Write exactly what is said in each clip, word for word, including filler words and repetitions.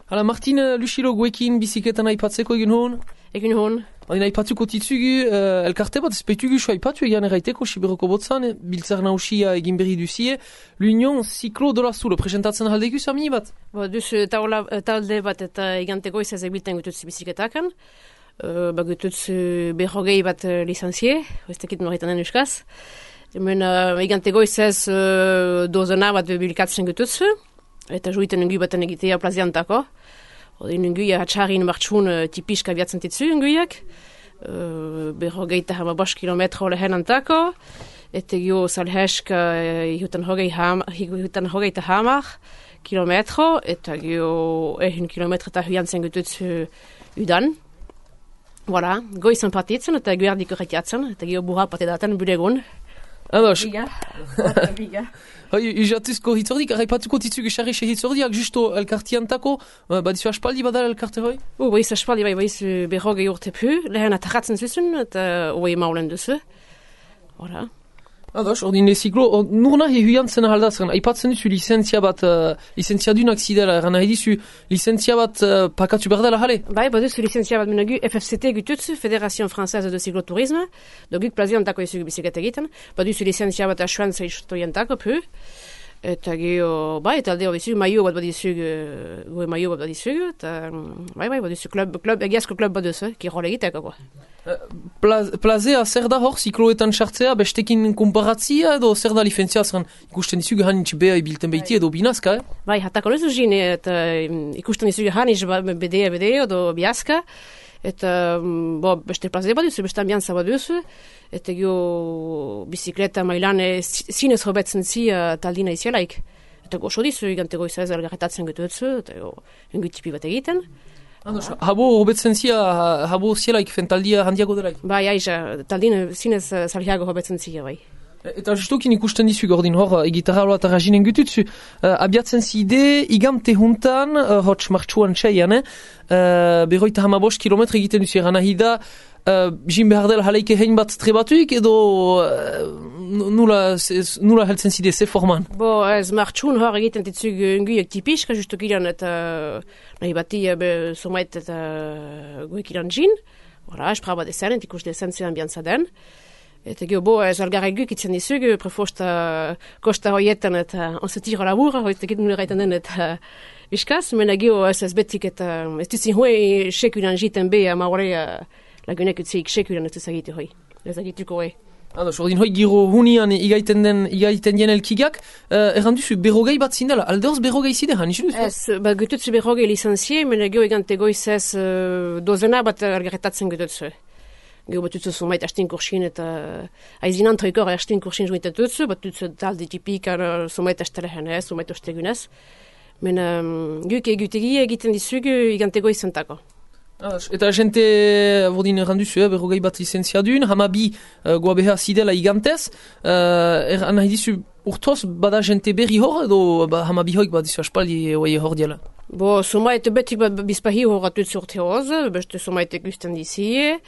Hala, Martin Lucilo guekin biziketan aipatzeko egin hon? Egin hon. Adina aipatzuko titzugu, uh, elkarte bat, ezpeitugu so aipatu egan erraiteko Siberoko botzan, biltzar nausia egin berri duzie, l'Union Cyclo de la Soule, presentatzen aldegu samini bat? Bo, duz taula, talde bat eta eganteko izaz egbilten gututz biziketakan, uh, ba gututz berrogei bat uh, licenzie, ez tekit norretanen euskaz, hemen uh, eganteko izaz uh, dozena bat bilkatzen gututz, eta juiten nengu baten egitea plaziantako. Odin nenguia hatxarin martxun uh, tipiska biatzen titzu nenguiak, uh, berrogeita hama bost kilometro lehen antako, eta gio salhesk uh, ihutan hogeita hamar kilometro, eta gio ehin kilometro eta huiantzen gututz uh, udan. Voilà, goizan partitzen eta guerdik horretiatzen, eta gio burra patedaten budegun. Ados. Biga, biga. Hai, izatuzko hitzordik, arraipatuko titzugu xarrixe hitzordiak, justo elkartiantako, uh, badizu aspaldi badala elkarte hoi? U, baiz aspaldi bai, baiz berrogei urte pu, lehen atarratzen zuzun, eta hoi maulen duzu. Voilà. Ados, ordin leziklo, nur nahi huiantzen ahaldazren, aipatzen duzu licentzia bat, uh, licentzia dunak zidela, eran nahi dizu licentzia bat uh, pakatu berdela jale? Bai, baduzu licentzia bat menagu F F C T gututzu, Fédération Française de Cyclotourisme, doguk plaziantako izugu biziket egiten, baduzu licentzia bat asuan zaiztoientako pu, eta geho, bai, eta aldeo bizugu, maio bat badizugu, goe maio bat badizugu, eta bai, bai, baduzu klub, klub, egiazko klub baduzu, kirol egiteko, Plazea, zer da hor, zikloetan sartzea, bestekin konparatzia edo zer da licentzia zeren ikusten dizugu hanitz beha ibilten behitie edo binazka, eh? Bai, hatako lezu zine, eta ikusten dizugu hanitz bedea bedea edo biazka, eta bo, beste plazea bat duzu, beste ambianza bat duzu, eta gio bizikleta mailan zinez hobetzen zi taldina izialaik. Eta goxo dizu, egantego izaz elgarretatzen gututzu, eta jo, engutipi bat egiten. Andos, habo hobetzen zia, habo zielaik fentaldia handiago delaik? Bai, aiza, taldine zinez zalhiago hobetzen zia, bai. Eta justokin ikusten dizu gordin hor, egitarra eta rajinen gututzu, uh, abiatzen zide, igante juntan, uh, hotx martxuan txaian, eh? uh, berroita hamabost kilometre egiten duzu eran nahi da, uh, jin behar dela jaleike hein bat trebatuik, edo uh, nula, nula heltzen zide, ze forman? Bo, ez martxun hor egiten ditzug nguiek tipiska, justokilan eta nahi bati be, somait eta goekilan jin, voilà, espra bat ezen, entikus dezen zean biantza den. Eta gio, bo, ez algarreguk itzen dizug, prefosta kosta hoietan eta onzetira labura, hoitekit nule gaiten den eta biskaz, mena gio, ez ez betik eta ez duzin hoi sekulan jiten be, ama horre lagunek utzeik sekulan ez ezagite hoi, ez agituko hoi. Ados, ordin hoi giro hunian igaiten den, igaiten dien elkigak, uh, erran duzu berrogei bat zindela, aldeoz berrogei zide, han isu duzu? Ez, ba, gututzu berrogei licenzie, mena gio egante goizez uh, dozena bat algarretatzen gututzu. Gero batutzu zumait astin kursin eta aizinan troikor astin kursin joitet dutzu, batutzu talde tipik zumait astelehen ez, zumait ostegunez. Men um, guk egutegi egiten dizugu igantego izantako. Eta jente, bordin erranduzu, eh, berrogei bat licenziadun, hamabi uh, goabeha zidela igantez, uh, erran nahi dizu urtoz bada jente berri hor edo ba, hamabi hoik bat dizu aspaldi oie hor diela? Bo, zumait betik bat bizpahi horratut urte hoz, beste zumait ikusten dizie,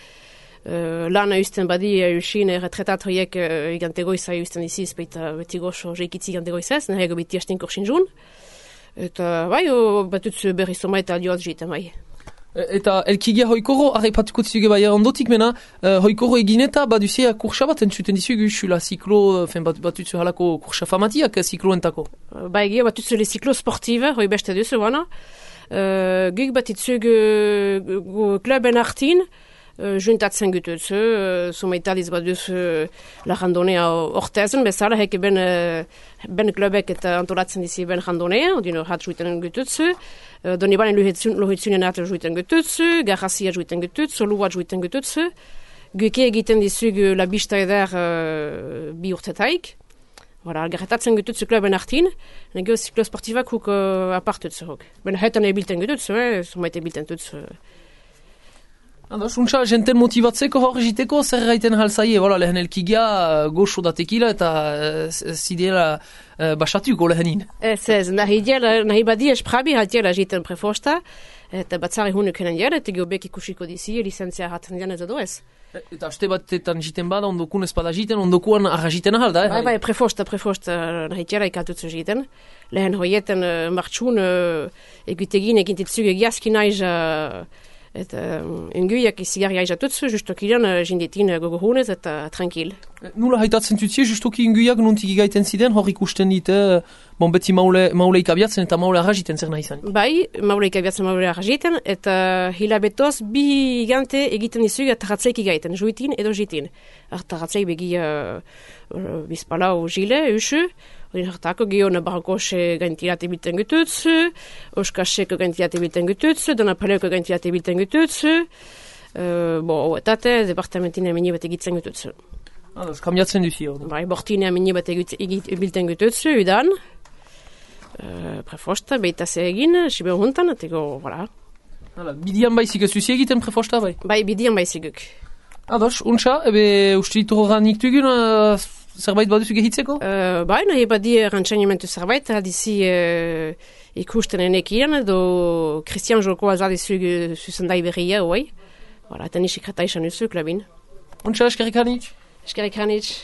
Uh, lana usten badi eusin retretat horiek uh, igantego izai usten diziz, baita beti goxo jeikitzi igantego izaz, nahiago beti hastin kursin jun. Eta bai, batutz berri soma eta aldioaz jiten bai. Eta elkigia hoikoro, arraipatuko dizuge bai ondotik mena, uh, hoikoro egineta baduzea kursa bat entzuten dizugu xula ziklo, fen bat, batutzu halako kursa famatiak zikloentako. Uh, bai, gio batutzu le ziklo sportive, hoi beste duzu, wana. Uh, Guk batutzugu uh, kluben artin, Uh, juntatzen gututzu, uh, sumaitaliz baduz uh, la randonea ortezen, bezala heke ben, uh, ben klubek eta antolatzen dizi ben randonea, odino hat juiten gututzu, uh, doni banen lohitzunen hat juiten gututzu, garrazia juiten gututzu, luat juiten gututzu, guke egiten dizugu la bista eder uh, bi urtetaik, voilà, garretatzen gututzu kluben artin, negio ziklo sportivak huk uh, apartutzu huk. Ben hetan ebilten gututzu, eh, sumait ebilten tutzu. Ados, untsa, jenten motibatzeko hor egiteko, zer gaiten halzaie, voilà, lehen elkigia goxo da tekila eta uh, zideela uh, basatuko lehenin. Ez ez, nahi diela, nahi badia esprabi hatiela egiten prefosta, eta batzari hunu kenen jela, eta geobek ikusiko dizi, licentzia haten dian ez edo ez. Eta aste batetan jiten bada, ondokun ez bada jiten, ondokuan arra jiten ahal da, eh? Bai, bai, prefosta, prefosta, nahi diela ikatutzu jiten. Lehen hoieten uh, martxun uh, egutegin egintitzug egiazki naiz uh, eta um, enguiak izigarri aizatutzu, justokilan uh, jinditin uh, gogohunez eta tranquil. Nula haitatzen tutzie, justoki enguiak nuntik igaiten ziren, hor ikusten dite, bon beti maule, mauleik abiatzen eta maule arrajiten zer nahi izan. Bai, mauleik abiatzen maule arrajiten, eta hilabetoz bi gigante egiten dizug atarratzeik igaiten, juitin edo jitin. Atarratzeik begi uh, uh, bizpalau jile, usu, hori hartako geho nabarkose gantilate bilten gututzu, oskaseko gantilate bilten gututzu, donapaleko gantilate bilten gututzu, uh, bo, etate, departamentin emeni bat egitzen gututzu. Ados, kambiatzen duzi hor. Bai, bortine emeni bat egitzen gututzu, udan, uh, prefosta, beita ze egin, sibe huntan, etego, voilà. Hala, bidian baizik ez duzi egiten prefosta, bai? Bai, bidian baiziguk. Ados, untsa, ebe ustitu horran iktugun, uh, zerbait baduzu gehitzeko? Uh, bai, nahi badi rantxanimentu zerbait, aldizi uh, ikusten enekian, edo Christian Joko azadizug zuzendai berria, oi. Voilà, eta nisi krata isan uzuk, labin. Untsa, eskerrik hanitz? Eskerrik hanitz.